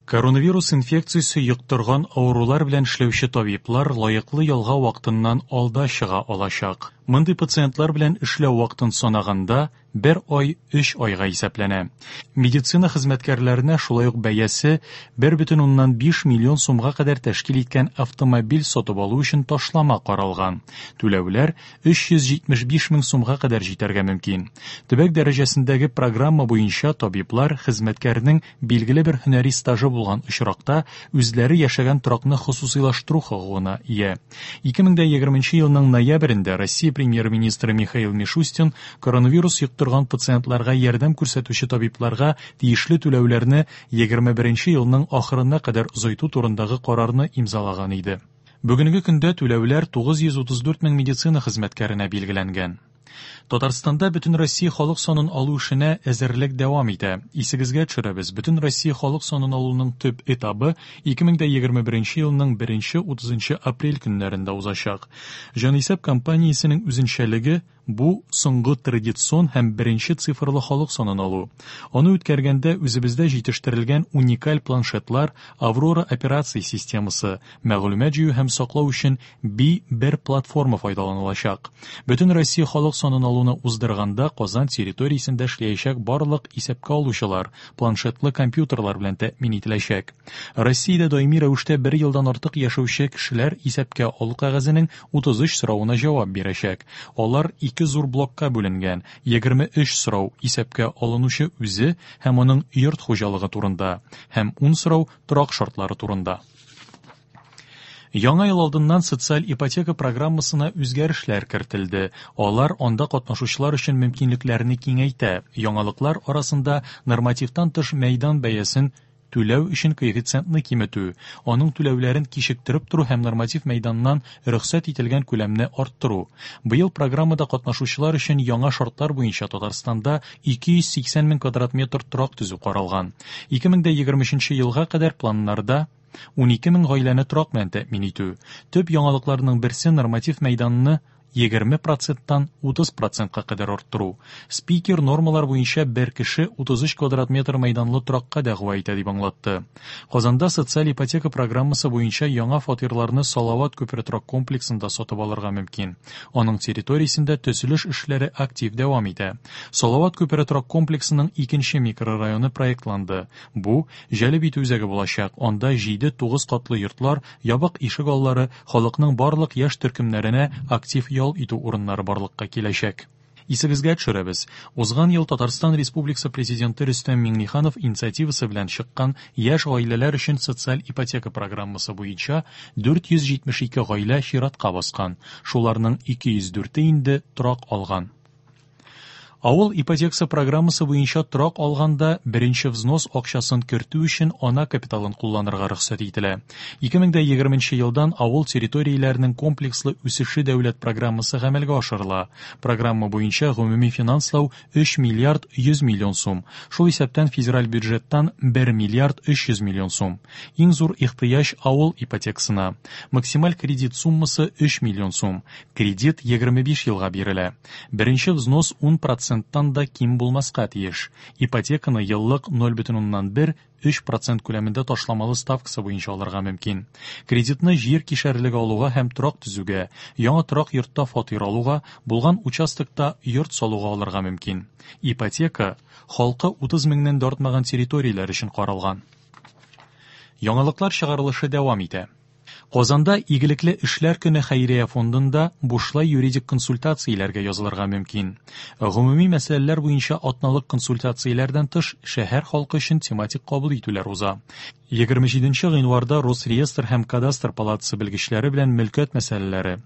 Коронавирус инфекциясе йоктырган авырулар белән эшләүче табиблар лаеклы ялга вакытыннан алда чыга алачак. Мондый пациентлар белән эшләү вакытын санаганда, бер ай өч айга исәпләнә. Медицина хезмәткәрләренә шулай ук бәясе 1,5 миллион сумга кадәр тәшкил иткән автомобиль сатып алу өчен ташлама каралган. Түләүләр 375 мең сумга кадәр җитәргә мөмкин. Төбәк дәрәҗәсендәге программа буенча табиблар хезмәткәрнең билгеле бер һөнәри стажы булган очракта үзләре яшәгән торакны хосусыйлаштыру хокукына ия. 2020 елның ноябрендә Россия премьер-министры Михаил Мишустин коронавирус йоктырган пациентларга ярдәм күрсәтүче табибларга тиешле түләүләрне 21 елның ахырына кадәр озайту турындагы карарны имзалаган иде. Бүгенге көндә түләүләр 934 мең медицина хезмәткәренә билгеләнгән. Татарстанда Бөтенроссия халык санын алу эшенә әзерлек дәвам итә. Исегезгә төшерәбез, Бөтенроссия халык санын алуның төп этабы 2021 елның 1-30 апрель көннәрендә узачак. Җанисәп кампаниясенең үзенчәлеге Бу соңгы традицион һәм беренче цифрлы халык санын алу. Аны үткәргәндә үзебездә җитештерелгән уникаль планшетлар, Аврора операция системасы, мәгълүмат җыю һәм саклау өчен Би-1 платформа файдаланылачак. Бөтен Россия халык санын алуны уздырганда Казан территориясендә эшләячәк барлык исәпкә алучылар планшетлы компьютерлар белән тәэмин ителәчәк. Россиядә даими рәвештә бер елдан артык яшәүче кешеләр исәпкә алу кәгазенең 33 соравына җавап бирәчәк. Алар ике зур блокка бүленгән, 23 сорау исәпкә алынучы үзе һәм аның йорт хуҗалыгы турында һәм 10 сорау торак шартлары турында. Яңа ел алдыннан социаль ипотека программасына үзгәрешләр кертелде. Алар анда катнашучылар өчен мөмкинлекләрне киңәйтә. Яңалыклар арасында нормативтан тыш мәйдан бәясен түләү өчен коэффициентны киметү, аның түләүләрен кичектереп тору һәм норматив мәйданнан рөхсәт ителгән күләмне арттыру. Быел программада катнашучылар өчен яңа шартлар буенча Татарстанда 280 мең квадрат метр торак төзү каралган. 2023 елга кадәр планнарда 12 мең гаиләне торак белән тәэмин итү. Төп яңалыкларның берсе норматив мәйданны 20 проценттан 30 процентка кадәр арттыру. Спикер нормалар буенча бер кеше 33 квадрат метр мәйданлы торакка дәгъва итә дип аңлатты. Казанда социаль ипотека программасы буенча яңа фатирларны Салават күпере торак комплексында сатып алырга мөмкин. Аның территориясендә төзелеш эшләре актив дәвам итә. Салават күпере торак комплексының икенче микрорайоны проектланды. Бу җәлеп итү үзәге булачак. Анда 7-9 катлы йортлар, ябык ишек аллары, халыкның барлык яшь төркемнәренә актив ял итү урыннары барлыкка киләчәк. Исегезгә төшерәбез, узган ел Татарстан Республикасы Президенты Рөстәм Миңнеханов инициативасы белән чыккан яшь гаиләләр өчен социаль ипотека программасы буенча 472 гаилә чиратка баскан, шуларның 204-е инде торак алган. Авыл ипотекасы программасы буенча торак алганда беренче взнос акчасын кертү өчен ана капиталын кулланырга рөхсәт ителә. 2020 елдан авыл территорияләренең комплекслы үсеше дәүләт программасы гамәлгә ашырыла. Программа буенча гомуми финанслау 3 миллиард 100 миллион сум, шул исәптән федераль бюджеттан 1 миллиард 300 миллион сум. Иң зур ихтыяҗ авыл ипотекасына. Максималь кредит суммасы 3 миллион сум. Кредит 25 елга бирелә. Беренче взнос 10 проценттан да ким булмаска тиеш. Ипотеканы еллык 0,1 3 процент күләмендә ташламалы ставкасы буенча алырга мөмкин. Кредитны җир кишәрлеге алуга һәм торак төзүгә, яңа торак йортта фатир алуга, булган участокта йорт салуга алырга мөмкин. Ипотека халкы 30 меңнән дә артмаган территорияләр өчен каралган. Яңалыклар чыгарылышы дәвам итә. Казанда Игелекле эшләр көне хәйрия фондында бушлай юридик консультацияләргә язылырга мөмкин. Гомуми мәсьәләләр буенча атналык консультацияләрдән тыш, шәһәр халкы өчен тематик кабул итүләр уза. 27 гыйнварда Росреестр һәм Кадастр палатасы белгечләре белән мөлкәт мәсьәләләре,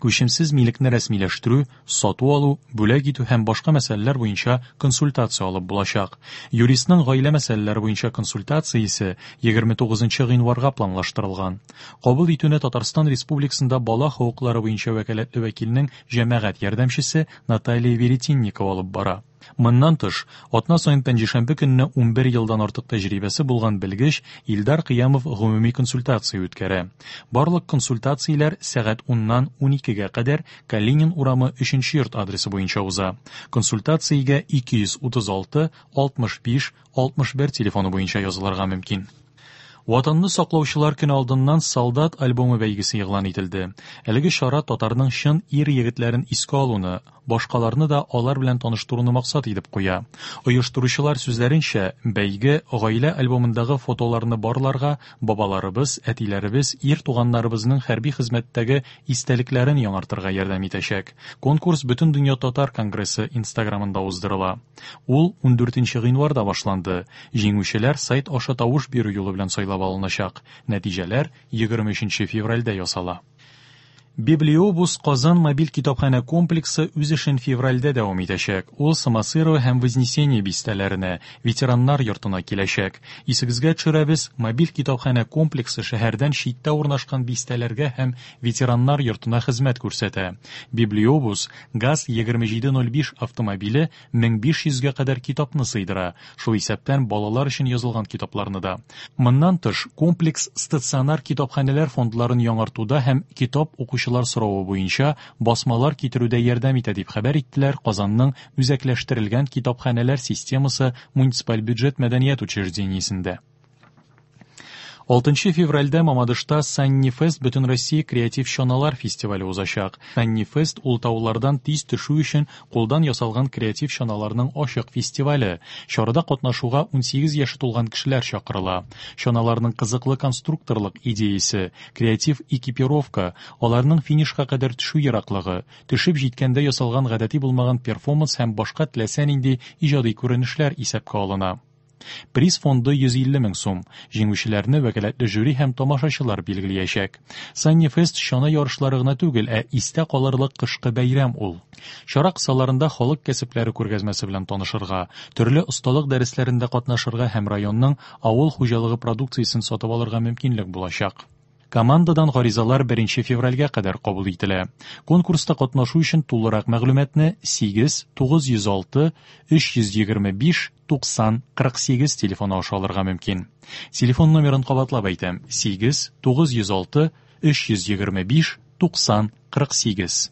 күчемсез милекне рәсмиләштерү, сату-алу, бүләк итү һәм башка мәсьәләләр буенча консультация алып булачак. Юристның гаилә мәсьәләләре буенча консультациясе 29 гыйнварга планлаштырылган. Кабул итүне Татарстан Республикасында бала хокуклары буенча вәкаләтле вәкилнең җәмәгать ярдәмчесе Наталья Веретенникова алып бара. Моннан тыш, атна саен пәнҗешәмбе көнне 11 елдан артык тәҗрибәсе булган белгеч Илдар Кыямов гомуми консультация үткәрә. Барлык консультацияләр сәгать 10-нан 12-гә кадәр Калинин урамы 3 йорт адресы буенча уза. Консультациягә 236 65 61 телефоны буенча язылырга мөмкин. Ватанны саклаучылар көне алдыннан Солдат альбомы бәйгесе игълан ителде. Әлеге чара татарның чын ир-егетләрен искә алуны, башкаларны да алар белән таныштыруны максат итеп куя. Оештыручылар сүзләренчә, бәйге гаилә альбомындагы фотоларны барларга, бабаларыбыз, әтиләребез, ир туганнарыбызның хәрби хезмәттәге истәлекләрен яңартырга ярдәм итәчәк. Конкурс Бөтендөнья татар конгрессы Инстаграмында уздырыла. Ул 14 гыйнварда башланды. Җиңүчеләр сайт аша тавыш бирү юлы белән сайлап алыначак. Нәтиҗәләр 23 февральдә ясала. Библиобус Казан мобиль китапханә комплексы үз эшен февральдә дәвам итәчәк. Ул Самосырово һәм Вознесение бистәләренә, ветераннар йортына киләчәк. Исегезгә төшерәбез, мобиль китапханә комплексы шәһәрдән читтә урнашкан бистәләргә һәм ветераннар йортына хезмәт күрсәтә. Библиобус ГАЗ 2705 автомобиле 1500 гә кадәр китапны сыйдыра, шул исәптән балалар өчен язылган китапларны да. Моннан тыш, комплекс стационар китапханәләр фондларын яңартуда һәм китап укучылар соравы буенча басмалар китерүдә ярдәм итә, дип хәбәр иттеләр Казанның үзәкләштерелгән китапханәләр системасы муниципаль бюджет мәдәният учреждениесендә. 6 февральдә Мамадышта Санни Фест Бөтенроссия креатив чаналар фестивале узачак. Санни Фест ул таулардан тиз төшү өчен кулдан ясалган креатив чаналарның ачык фестивале. Чарада катнашуга 18 яше тулган кешеләр чакырыла. Чаналарның кызыклы конструкторлык идеясе, креатив экипировка, аларның финишка кадәр төшү ераклыгы, төшеп җиткәндә ясалган гадәти булмаган перформанс һәм башка теләсә нинди иҗади күренешләр исәпкә алына. Приз фонды 150 мең сум. Җиңүчеләрне вәкаләтле жюри һәм тамашачылар билгеләячәк. Санни Фест чана ярышлары гына түгел, ә истә калырлык кышкы бәйрәм ул. Чара кысаларында халык кәсепләре күргәзмәсе белән танышырга, төрле осталык дәресләрендә катнашырга һәм районның авыл хуҗалыгы продукциясен сатып алырга мөмкинлек булачак. Командадан гаризалар 1 февральгә кадәр кабул ителә. Конкурста катнашу өчен тулырак мәгълүматны 8 906 325 90 48 телефоны аша алырга мөмкин. Телефон номерын кабатлап әйтәм: 8 906 325 90 48.